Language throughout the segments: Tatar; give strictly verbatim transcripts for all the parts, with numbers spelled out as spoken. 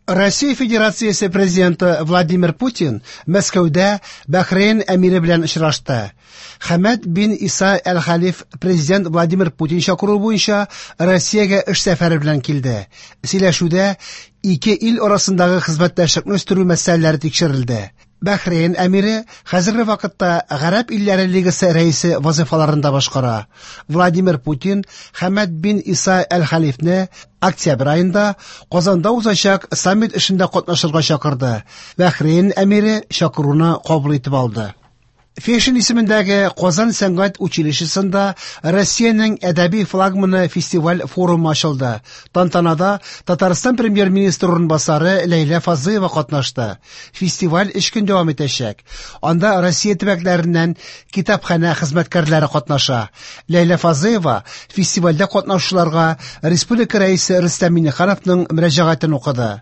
Россия Федерациясе президенты Владимир Путин Мәскәүдә Бәхрейн әмире белән очрашты. Хәмәд бин Иса әл-Хәлиф президент Владимир Путин чакыруы буенча Россиягә эш сәфәре белән килде. Сөйләшүдә ике ил арасындагы хезмәттәшлекне үстерү мәсьәләләре тикшерелде. Бәхрейн әмире хәзерге вакытта Гарәп илләре лигасы рәисе вазифаларын да башкара. Владимир Путин Хәмәд бин Иса әл-Хәлифне октябрь аенда Казанда узачак саммит эшендә катнашырга чакырды. Бәхрейн әмире чакыруны кабул итеп алды. Фешин исемендәге Казан сәнгать училищесында Россиянең әдәби флагманы фестиваль форумы ачылды. Тантанада Татарстан премьер-министры урынбасары Ләйлә Фазлыева катнашты. Фестиваль өч көн дәвам итәчәк. Анда Россия төбәкләреннән китапханә хезмәткәрләре катнаша. Ләйлә Фазлыева фестивальдә катнашучыларга республика рәисе Рөстәм Миңнехановның мөрәҗәгатен укыды.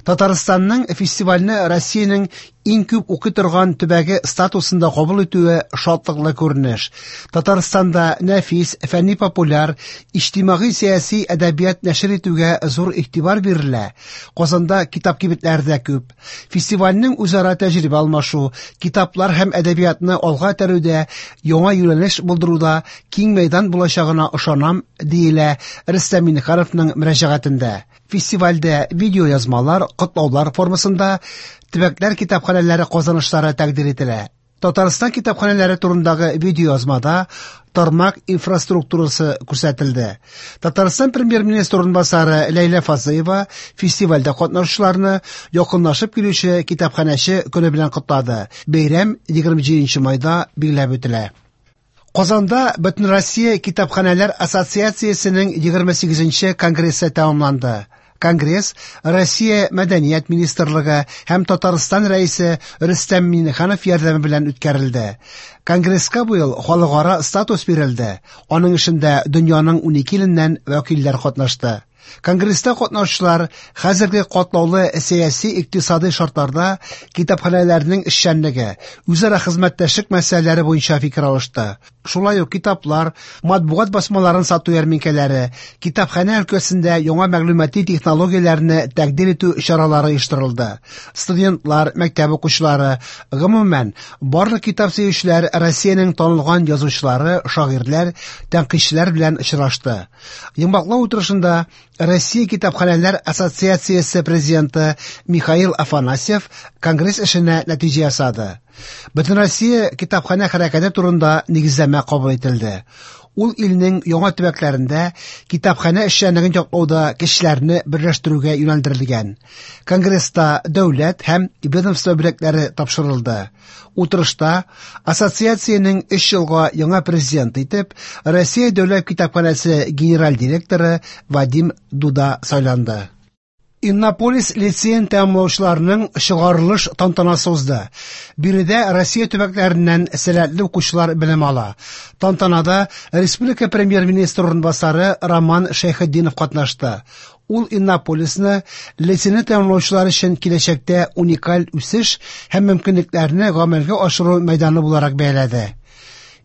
Татарстанның фестивальне Россиянең иң күп укый торган төбәге статусында кабул итүе шатлыклы күренеш. Татарстанда нәфис, фәнни популяр, иҗтимагый-сәяси әдәбият нәшер итүгә зур игътибар бирелә. Казанда китап кибетләре дә күп. Фестивальнең үзара тәҗрибә алмашу, китаплар һәм әдәбиятны алга этәрүдә яңа юнәлеш булдыруда киң мәйдан булачагына ышанам, диелә Рөстәм Миңнехановның мөрәҗәгатендә. Фестивальдә видеоязмалар, котлаулар формасында төбәкләр китапханәләре казанышлары тәкъдир ителә. Татарстан китапханәләре турындагы видеоязмада тармак инфраструктурасы күрсәтелде. Татарстан премьер-министры урынбасары Ләйлә Фазлыева фестивальдә катнашучыларны якынлашып килүче китапханәче көне белән котлады. Бәйрәм егерме җиденче майда билгеләп үтелә. Казанда Бөтенроссия китапханәләр ассоциациясенең егерме сигезенче конгрессы тәмамланды. Конгресс Россия Мәдәният министрлыгы һәм Татарстан рәисе Рөстәм Миңнеханов ярдәме белән үткәрелде. Конгресска быел халыкара статус бирелде. Аның эшендә дөньяның унике иленнән вәкилләр катнашты. Конгресста катнашучылар хәзерге катлаулы сәяси-икътисади шартларда китапханәләрнең эшчәнлеге, үзара хезмәттәшлек мәсьәләләре буенча фикер алышты. Шулай ук китаплар, матбугат басмаларын сату ярминкәләре, китапханә өлкәсендә яңа мәгълүмати технологияләрне тәкъдир итү чаралары оештырылды. Студентлар, мәктәп укучылары, гомумән, барлык китап сөючеләр Россиянең танылган язучылары, шагыйрьләр, тәнкыйтьчеләр белән очрашты. Йомгаклау утырышында Россия китапханәләр ассоциациясе президенты Михаил Афанасьев конгресс эшенә нәтиҗә ясады. Бөтенроссия китапханә хәрәкәте турында нигезләмә кабул ителде. Ул илнең яңа төбәкләрендә китапханә эшчәнлеген яклауда кешеләрне берләштерүгә юнәлдерелгән. Конгресста дәүләт һәм ведомство бүләкләре тапшырылды. Утырышта ассоциациянең өч елга яңа президенты итеп Россия дәүләт китапханәсе генераль директоры Вадим Дуда сайланды. Иннополис лицеен тәмамлаучыларның чыгарылыш тантанасы узды. Биредә Россия төбәкләреннән сәләтле укучылар белем ала. Тантанада республика премьер-министры урынбасары Роман Шәйхетдинов катнашты. Ул Иннополисны лицейны тәмамлаучылар өчен киләчәктә уникаль үсеш һәм мөмкинлекләрне гамәлгә ашыру мәйданы буларак бәяләде.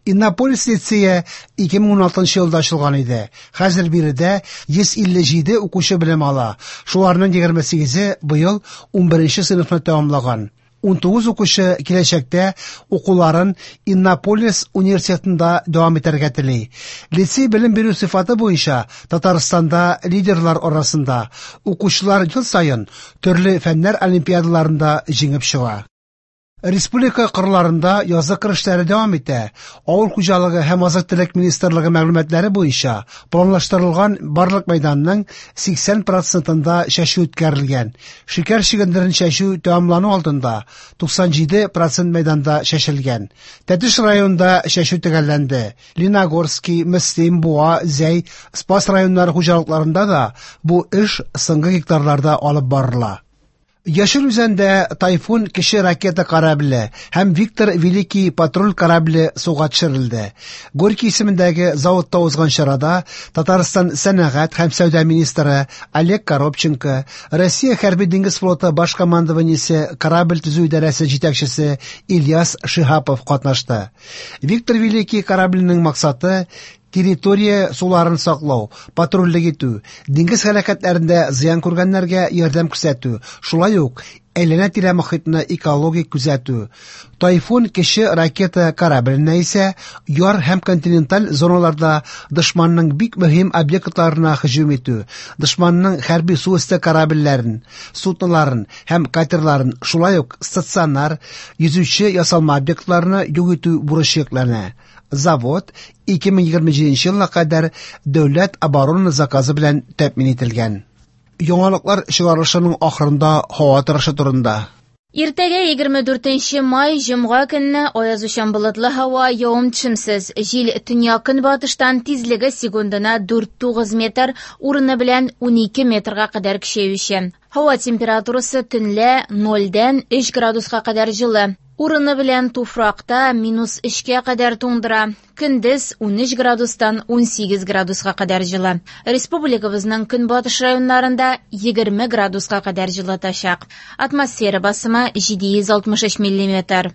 Иннополис лицее ике мең уналтынчы елда ачылган иде. Хәзер биредә йөз илле җиде укучы белем ала. Шуларның егерме сигезе быел унберенче сыйныфны тәмамлаган. Унтугыз укучы киләчәктә укуларын Иннополис университетында дәвам итәргә тели. Лицей белем бирү сыйфаты буенча Татарстанда лидерлар арасында укучылар ел саен төрле фәннәр олимпиадаларында җиңеп чыга. Республика кырларында язгы кыр эшләре дәвам итә. Авыл хуҗалыгы һәм азык-төлек министрлыгы мәгълүматлары буенча планлаштырылган барлык мәйданның сиксән процентында чәчү үткәрелгән. Шикәр чөгендерен чәчү тәмамлану алдында туксан җиде процент мәйданда чәчелгән. Тәтеш районында чәчү төгәлләнде. Лениногорский, Мөслим, Буа, Зәй, Спас районнары хуҗалыкларында да бу эш соңгы гектарларда алып барыла. Яшел Үзәндә Тайфун кече ракета корабле һәм Виктор Великий патруль корабле суга төшерелде. Горький исемендәге заводта узган чарада Татарстан сәнәгать һәм сәүдә министры Олег Коробченко, Россия хәрби диңгез флоты баш командованиесе корабль төзү идарәсе җитәкчесе Ильяс Шиһапов катнашты. Виктор Великий корабленең максаты Территория суларын саклау, патрульлек итү, диңгез һәлакәтләрендә зыян күргәннәргә ярдәм күрсәтү, шулай ук әйләнә-тирә мохитны экологик күзәтү. Тайфун кече ракета корабленә исә яр һәм континенталь зоналарда дошманның бик мөһим объектларына һөҗүм итү, дошманның хәрби су өсте корабльләрен, судноларын һәм катерларын, шулай ук стационар йөзүче ясалма объектларны юк итү бурычы йөкләнә. Завод ике мең егерме җиденче елга кадәр дәүләт оборона заказы белән тәэмин ителгән. Яңалыклар чыгарылышының ахырында һава торышы турында. Иртәгә егерме дүртенче май җомга көнне аязучан болытлы һава, явым-төшемсез. Җил төньяк-көнбатыштан, тизлеге секундына дүрт тугыз метр, урыны белән унике метрга кадәр көчәюче. Һава температурасы төнлә нольдән өч градуска кадәр җылы. Урыны белән туфракта минус өчкә кадәр туңдыра. Көндез унөч градустан унсигез градуска кадәр җылы. Республикабызның көнбатыш районнарында егерме градуска кадәр җылытачак. Атмосфера басымы җиде йөз алтмыш өч миллиметр.